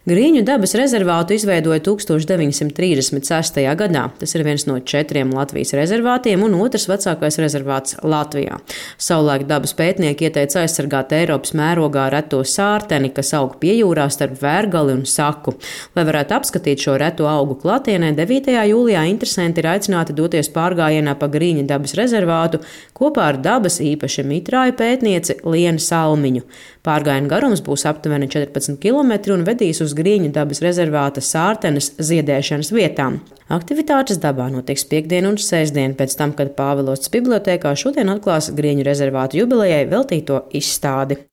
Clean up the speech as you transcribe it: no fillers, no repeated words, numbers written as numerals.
Grīņu dabas rezervātu izveidoja 1936. gadā. Tas ir viens no 4 Latvijas rezervātiem un otrs vecākais rezervāts Latvijā. Savulaik dabas pētnieki ieteica aizsargāt Eiropas mērogā reto sārteni, kas aug piejūrā starp Vērgali un Saku. Lai varētu apskatīt šo reto augu klātienē, 9. jūlijā interesanti ir aicināti doties pārgājienā pa Grīņu dabas rezervātu kopā ar dabas īpaši mitrāju pētnieci Lienu Salmiņu. Pārgājiena garums būs aptuveni 14 km un vedīs uz Grīņu dabas rezervāta sārtenes ziedēšanas vietām. Aktivitātes dabā notiks piektdien un sestdien pēc tam, kad Pāvilosts bibliotēkā šodien atklās Grīņu rezervātu jubilejai veltīto izstādi.